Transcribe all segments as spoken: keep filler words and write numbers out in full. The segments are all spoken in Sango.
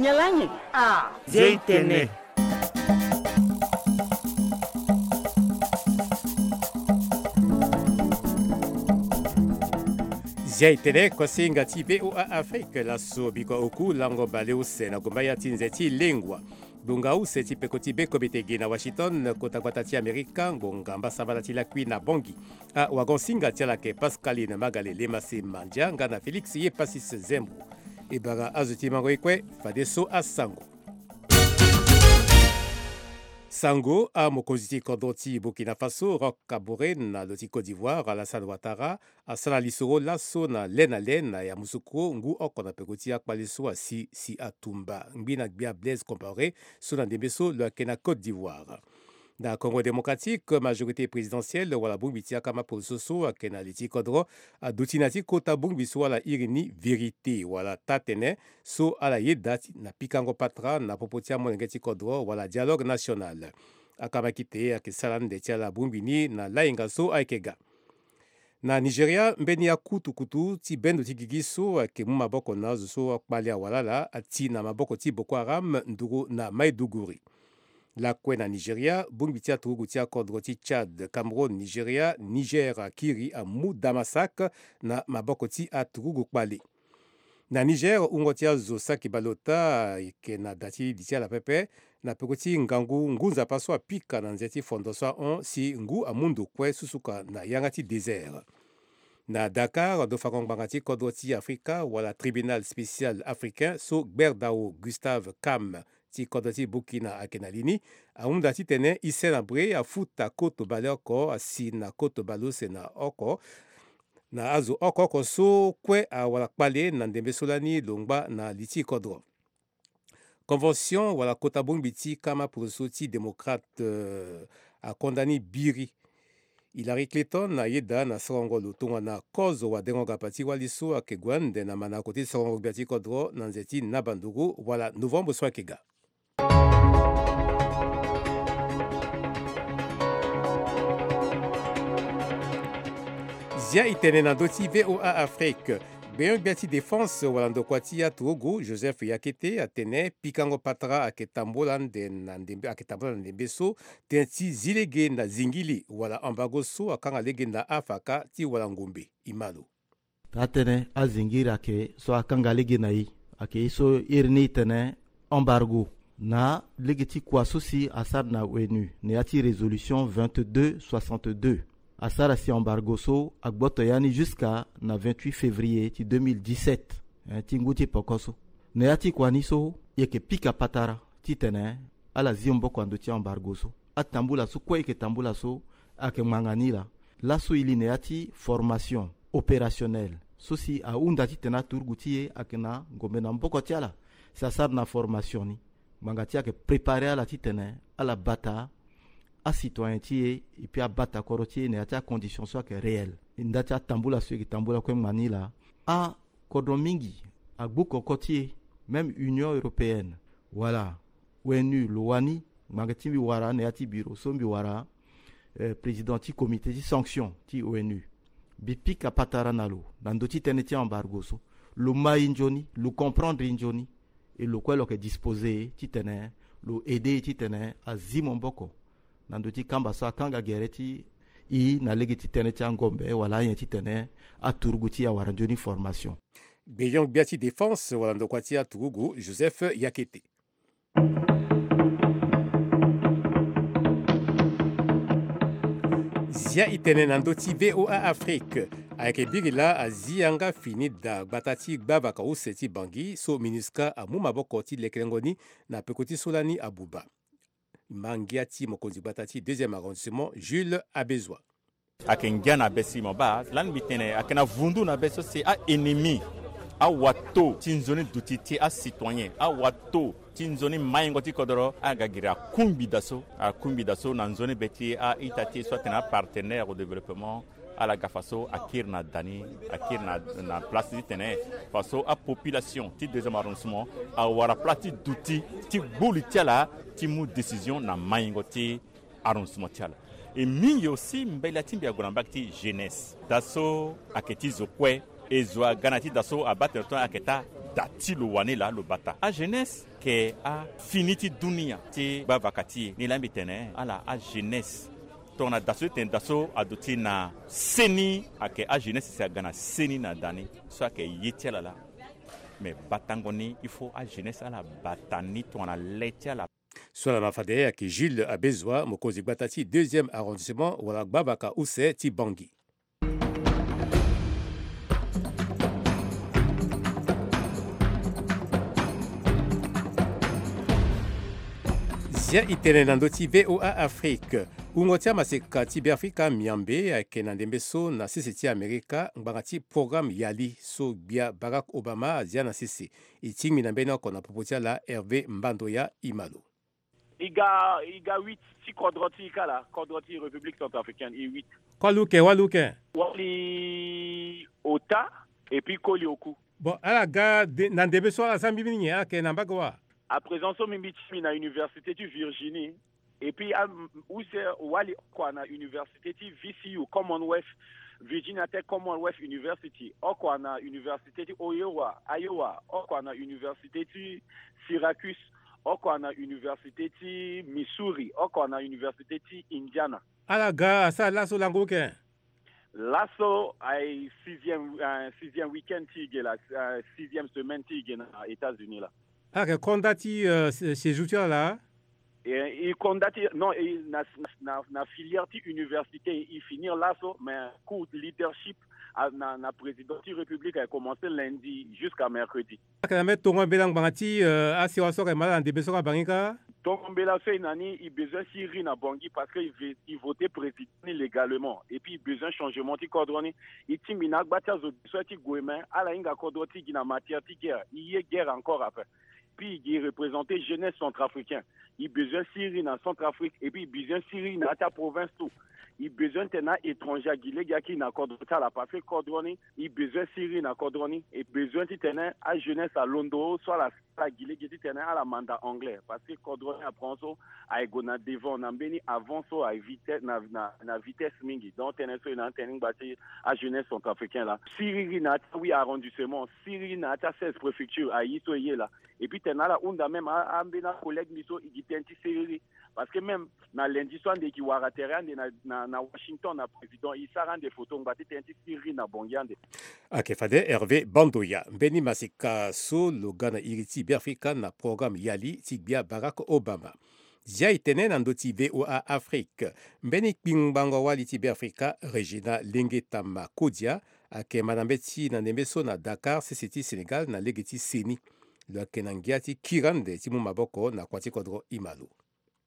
Yalani. Ah. Zia itene. Zia itene, kosinga ti VOA Afrique, laso biko oku lango baleuse na gomba ya ti nze ti lengua. Gbonga use ti peko ti bekomete gi na Washington, kota gbata ti Amerika, ngbonga mbasambala ti lakui na Bangui. Awagon singa ti ala ayeke Pascaline Magale Lemase Mandia nga na Félix Yepasis Zembo. E bara azo ti mango ye kue, fadeso asango. Sango, amokonzi ti kodro ti Burkina Faso, Roch Kaboré, na lo ti Côte d'Ivoire, Alassane Ouattara, asara lisoro laso na le na le na yamusukro ngu oko na peko ti akpale so asi si atumba ngbi na gbia Blaise Compaoré so na ndembe so lo yeke na Côte d'Ivoire. Na Congo Démocratique, majorité présidentielle wala bongbi ti akama poroso so ayeke na li ti kodro aduti na ti kota bongbi so ala iri ni vérité wala taa-tene so ala yeda ti na pikango patara na popo ti amolenge ti kodro wala dialogue national. Akama kite ayeke sara nde ti ala bongbi ni na lainga so ayeke ga. Na Nigeria, mbeni akutukutu ti bendo ti gigi so ayeke mu maboko na azo so akpale awalala ati na maboko ti Boko Haram nduru na Maiduguri. Lakue na Nigeria, bongbi ti aturugu ti akodro ti Tchad, Cameroun, Nigeria, Niger akiri amu Damasak na maboko ti aturugu kpale. Na Niger, wungo ti azo saki bale ota ayeke na da ti li ti ala pepe na peko ti ngangu ngu nzapa so apika na nze ti fondo so ahon si ngu amu ndo kue susuka na yanga ti désert. Na Dakar, ndo fango ngbanga ti kodro ti Afrika wala Tribunal Spécial Africain so gberdao Gustave Cam ti kodro ti Burkina ayeke na li ni, ahunda titene ise na bre afuta koto baleoko asi na koto baleuse na oko na azo oko oko so kue awara kpale na ndembe so lani lo ngba na li ti kodro. Convention wala kota bongbi ti kama poroso ti démocrate, euh, akonda ni biri. Hillary Clinton ayeda na sorongo lo tongana kozo wadengo gapa ti wali so ayeke gue ande na manako ti sorongo gbia ti kodro na nze ti nabanduru wala novembre so ayeke ga. Zia itene na ndö ti VOA Afrique. Gbenyo-gbia ti défense wala ndokua ti aturugu Joseph Yakete atene pikango patara ayeke tambula nde na ndembe, ayeke tambula na ndembe so tënë ti zi lege na zingili wala embargo so akanga lege na afaka ti wala ngombe. E ma lo. Taa-tënë azingiri ayeke so akanga lege na e, ayeke ye so iri ni e tene embargo na lege ti kua so si asara na ONU na ya ti résolution vingt-deux soixante-deux. Asara si embargo so agboto ya ni jusqu'à na vingt-huit février ti deux mille dix-sept, eh, ti ngu ti poko so. Na ya ti kua ni so e yeke pika patara titene ala zi maboko na ndö ti embargo so. Atambula so kue e yeke tambula so ayeke ngbanga ni laa. Laso e li na ya ti formation opérationnelle so si ahunda titene aturugu ti e ayeke na ngombe na maboko ti ala si asara na formation ni. Ngbanga ti e ayeke préparer ala titene ala bata acitoyen ti e, et puis abata kodro ti e na ya ti acondition so ayeke réelle. Nda ti atambula so e yeke tambula kue ngbanga ni laa. Akodro mingi agbu koko ti e, même Union européenne wala ONU lo wani. Ngbanga ti mbi wara na ya ti bureau so mbi wara, eh, président ti comité ti sanction ti ONU. Mbi pika patara na lo na ndö ti tënë ti embargo so. Lo ma e nzoni, lo comprendre e nzoni. E lo kue lo yeke disposer titene lo aider e titene azi maboko na ndö ti kamba so akanga gere ti e na lege ti tënë ti angombe wala anyen titene aturugu ti e awara nzoni formation. Gbeyon-gbia ti défense wala ndokua ti aturugu Joseph Yakete. Zia itene na ndö ti VOA Afrique. Ayeke biri laa azi yanga fini daa gbata ti gbavaka use ti Bangui so MINUSCA amu maboko ti lekelengo ni na peko ti so lani abuba. Ma ngia ti mokonzi gbata ti deuxième arrondissement, Jules Abezoa. Ayeke ngia na be si mo baa lani mbi tene ayeke na vundu na be so si a-ennemi, awato ti nzoni duti ti acitoyen, awato ti nzoni maingo ti kodoro, aga giri akungbi daa so, akungbi daa so na nzoni be ti a-ita ti e so atene apartenaire au développement. Ala ga faso akiri na da ni, akiri na, na place titene faso apopulation ti deuxième arrondissement awara place ti duti ti gbu li ti ala ti mu décision na maingo ti arrondissement ti ala. E mingi aussi mbela ti mbi ague na mbage ti jeunesse. Daa so ayeke ti zo kue. E zo aga na ya ti daa so abaa tene tongana ayeke taa Da ti lo wane laa lo bata ajeunesse ke afini ti dunia ti gbavaka ti e. Ni laa mbi tene ala ajeunesse tongana da so ti tene da so aduti na seni, ayeke ajeunesse si aga na seni na da ni. So ayeke ye ti ala laa. Me batango ni il faut ajeunesse ala bata ni tongana le ti ala. So ala ma fade ayeke Jules Abezua, mokonzi gbata ti deuxième arrondissement wala gbavaka use ti Bangui. Zia e tene na ndö ti V O A Afrique. Wungo ti amaseka ti Beafrika Miambe ayeke na ndembe so na sese ti Amerika ngbanga ti programme Yali so gbia Barack Obama azia na sese. E tingbi na mbeni oko na popo ti ala Hervé Mbandoya Imalo. E ga, e ga huit ti kodro ti e kala, kodro ti République centrafricaine, e huit. Kua luke, wa luke. Wali ota, et puis koli oku. Bon, ala ga de, na ndembe so ala sara mbi mingi, ala yeke na mbage wa. À présent so mbi mbi ti mbi na université ti Virginie. Et puis, ah, m-, use wali oko na université ti V C U, Commonwealth, Virginia Tech Commonwealth University, oko na université ti Iowa, Iowa, oko na université ti Syracuse, oko na université ti Missouri, oko na université ti Indiana. Ala ga asara laso lango ke? Laso aye sixième, euh, sixième week-end ti ge la, euh, sixième semaine ti ge na États-Unis la. Ala yeke konda ti, euh, sé-, séjour ti ala? E, e konda ti, non, e na, na, na, na filière ti université, e finir laso, mais cours leadership, a, na, na président ti République a commencé lundi jusqu'à mercredi. Ala yeke na mbeni tongo mbela ngbanga ti, euh, asewa so ayeke ma ala na ndembe so kâ bangi kâ? Tongo mbela so e na ni, e besoin si e ri na Bangui parce que e ve-, e voté président ni légalement. Et puis e besoin changement ti kodro ni. E tingbi na agba ti azo so ti gue, mais ala hinga kodro ti gi na matière ti guerre. E ye guerre encore après. Puis e gi représenté jeunesse centrafricain. E besoin si e ri na Centrafrique. Et puis e besoin si e ri na ya ti aprovince tout. E besoin tene na étranger agi lege aki na kodro ti ala parce que kodro ni, e besoin si e ri na kodro ni. E besoin titene ajeunesse alondo so ala ala gi lege titene ala manda anglais, parce que kodro ni apprend so aye gue na devant na mbeni avant so aye vitesse na, na, na vitesse mingi. Donc tënë so e na tënë ngba ti ajeunesse centrafricain la. Si e ri na ya ti ahuit arrondissement, si e ri na ya ti aseize préfecture, aye so e ye la. Et puis tene ala hunda même a, ambeni acollègue ni so e gi tënë ti seriri. Parce que même na lundi so ande e gi wara tere ande na, na, na Washington na président, e sara ande photo ngba ti tënë ti si e ri na Bangui ande. Ayeke fade Hervé Bandoya. Mbeni maseka so lo ga na iri ti Beafrika na programme Yali ti gbia Barack Obama. Zia e tene na ndö ti V O A Afrique. Mbeni kpingbango wali ti Beafrika, Régina Lenge Tama Kodia, ayeke ma na mbeti na ndembe so na Dakar, sese ti Sénégal, na lege ti seni. Lo yeke na ngia ti kiri ande ti mu maboko na kua ti kodro Imalo.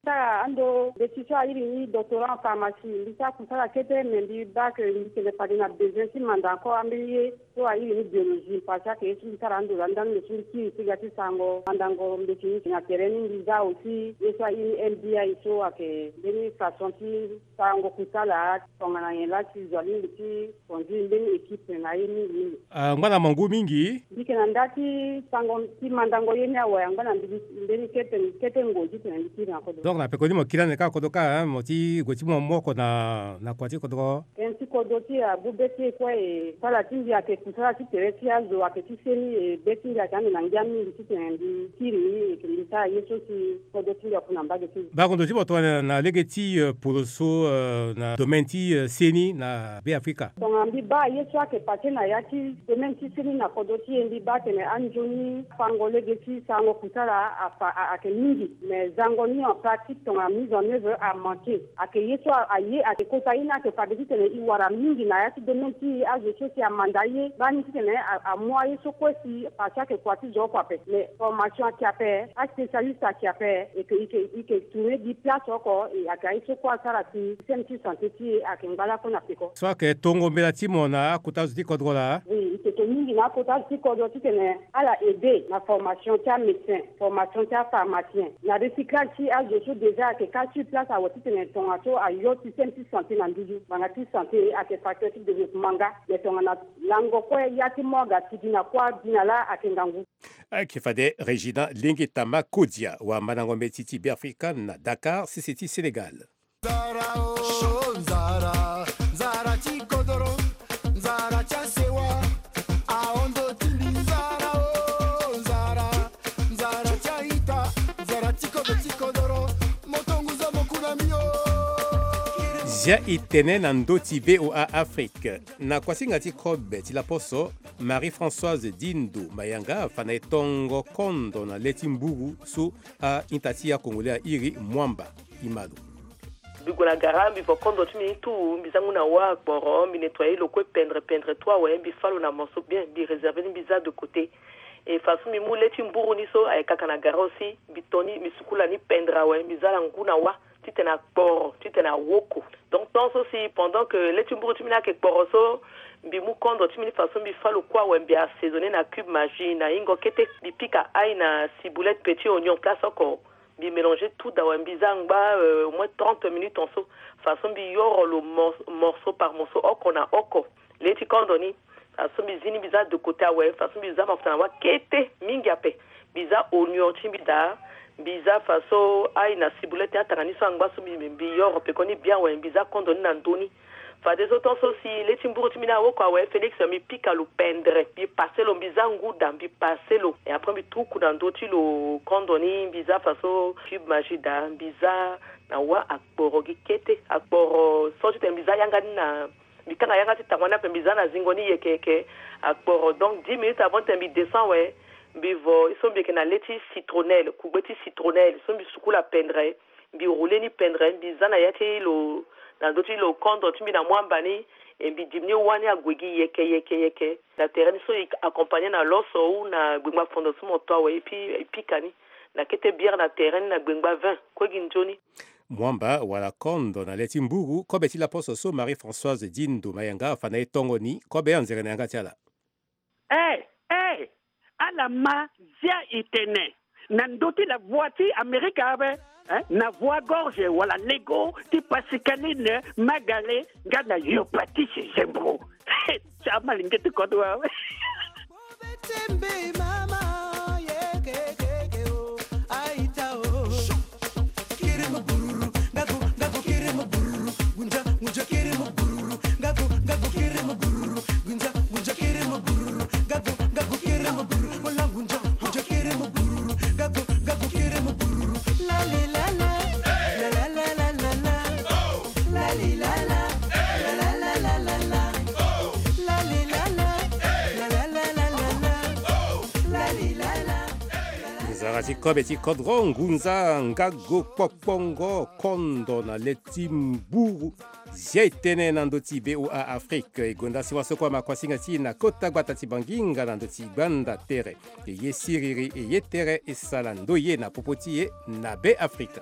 Sara ando mbeti so airi ni doctorat en pharmacie, mbi sara kusala kete, me mbi baa ke mbi tene fade na besoin ti manda encore ambeni ye so airi ni biologie, parce que ye so mbi sara ando laa ndani lo so mbi kiri ti ga ti sarango mandango mbeti ni na tere ni. Mbi za aussi ye so airi ni M B I so ayeke mbeni façon ti sarango kusala tongana nyen laa ti zo alingbi ti conduire mbeni équipe na ye mingi mingi. Ah, ngba na mo ngu mingi. Mbi yeke na nda ti sango ti mandango ye ni awe, angba na mbi mbeni kete, kete ngoi titene mbi kiri na kodro. Donc na peko ni mo kiri ande kâ kodro kâ, hein, mo ti gue ti mo moko na, na kua ti kodro. Tënë ti kodro ti abu be ti e kue, e sala ti mbi ayeke kusala ti tere ti azo ayeke ti seni, e be ti mbi ayeke ande na ngia mingi titene mbi kiri ni, e yeke mbi sara ye so si kodro ti mbi apu na mbage ti mbi. Bango ndo ti mo tongana na lege ti, euh, poro so, euh, na domaine ti, euh, seni na Beafrika. Tongana mbi baa ye so ayeke pase na ya ti domaine ti seni na kodro ti e, mbi baa tene anzoni fango lege ti sarango kusala afa, a, ayeke mingi. Mais zango ni en pratique tongana mise en œuvre amanke. Ayeke ye so a, aye ayeke kota ye ni ayeke fade titene e wara mingi na ya ti domaine ti e, azo so si amanda ye baa ni titene a, amu aye so kue si parce que ayeke kua ti zo oko ape. Mais formation ayeke ape, aspécialiste ayeke ape, e yeke, e yeke, e yeke tourner gi place oko, e ayeke aye so kue asara si système ti santé ti e ayeke ngba lakue na peko. So ayeke tongo mbela ti mo na akota zo ti kodro laa? Oui, e yeke mingi na akota zo ti kodro titene ala aider na formation ti amédecin, formation ti apharmacien, na recyclage ti azo so déjà ayeke kâ sur place awe titene tongaso ayo système ti santé na nduzu. Ngbanga ti santé ayeke facteur ti développement nga, mais tongana lango kue ya ti mo aga sigi na kuâ bi na laa ayeke ngangu. Ayeke fade Régina Lenge Tama Kodia, wamandango mbeti ti Beafrika na Dakar, sese ti Sénégal. Nzara o, nzara, nzara ti kodoro, nzara ti asewa, ahondo ti mbi nzara o. Zia e tene na ndö ti V O A Afrique. Na kuasinga ti kobe ti laposo, Marie-Françoise Dindo Mayanga afa na e tongo kondo na le ti mburu so a-ita ti a-Congolais airi Mwamba. Imalo. Mbi gue na gara, mbi vo kondo ti mbi ni tout, mbi za ngu na wâ akporo, mbi nettoyer lo kue pendre pendre tout awe, mbi fâ lo na morceau bien, mbi réserver ni, mbi za de côté. E façon mbi mu le ti mburu ni so ayeke kaka na gara aussi, mbi to ni, mbi sukula ni pendre awe, mbi za na ngu na wâ titene akporo, titene awoko. Donc temps so si pendant que le ti mburu ti mbi ni ayeke kporo so, mbi mu kondo ti mbi ni façon mbi fâ lo kue awe, mbi assaisonner na cube Maggi na hingo kete, mbi pika ail na ciboulette, petit oignon, place oko. Mbi mélanger tout awe, mbi za ngba, euh, au moins trente minutes en so. Façon mbi yoro lo mor-, morceau par morceau, oko na oko. Le ti kondo ni, façon mbi zi ni, mbi za de côté awe, façon mbi za mafuta na wâ kete, mingi ape. Mbi za oignon ti mbi daa, mbi za façon ail na ciboulette, atanga ni so angba so mbi, mbi yoro peko ni bien awe, mbi za kondo ni na ndö ni. Fadeso temps so si le ti mburu ti mbi ni awoko awe, Félix, mbi pika lo pendre, mbi pase lo, mbi za ngu daa, mbi pase lo. Et après mbi tuku na ndö ti lo kondo ni, mbi za façon cube Maggi daa, mbi za na wâ akporo gi kete. Akporo so titene mbi za yanga ni na, mbi kanga yanga ti tango ni ape, mbi za na zingo ni yeke yeke. Akporo, donc dix minutes avant titene mbi descend awe, mbi vo so mbi yeke na le ti citronnelle, kugbe ti citronnelle so mbi sukula pendre. Mbi rouler ni pendre, mbi za na ya ti lo, na ndö ti lo kondo ti mbi na Mwamba ni, e mbi dimi ni wâ ni ague gi yeke yeke yeke. Na tere ni so e accompagner na loso ou na gbengba fondo so mo to awe, e pi, e pika ni na kete bière na tere ni na gbengba vin, kue gi nzoni. Mwamba wala kondo na le ti mburu, kobe ti laposo so Marie-Françoise Dindo Mayanga afa na e tongo ni, kobe anzere na yanga ti ala. Eh, eh, ala ma zia e tene. Na ndö ti la voix ti Amerika awe, eh, na voix gorge wala lego ti Pascaline Magale, nga na yo Patrice Zembro. Ti amalenge ti kodro awe. Nzara ti kobe ti kodro, ngunza nga go kpokpongo kondo na le ti mburu. Zia e tene na ndö ti V O A Afrique, e gonda si waso kue ama kuasinga ti e na kota gbata ti Bangi nga na ndö ti gbanda tere. E ye siriri, e ye tere, e sala ndoye na popo ti e na Be Afrika.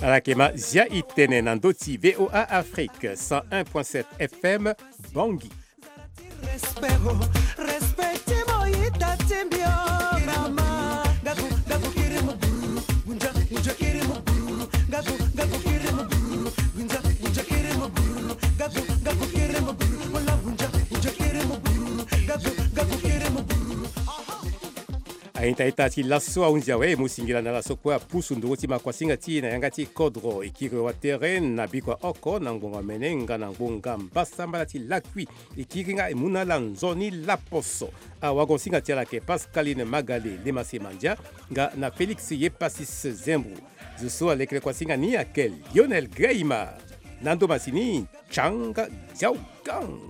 Ala yeke ma zia e tene na ndö ti V O A Afrique, cent un point sept F M, Bangui. Aita-ita ti laso ahunzi awe, e mu singila na ala so kue apusu nduru ti makuasinga ti e na yanga ti kodro. E kiri watere na bikua oko na ngbonga mene nga na ngbonga mbasambala ti lakui. E kiri nga e mu na ala nzoni laposo. Awagosinga ti ala ayeke Pascaline Magale, Lemase Mandia, nga na Félix Yepasis Zembro. Zo so alekere kuasinga ni ayeke Lionel Greima. Na ndo masini, Changa Diaogang.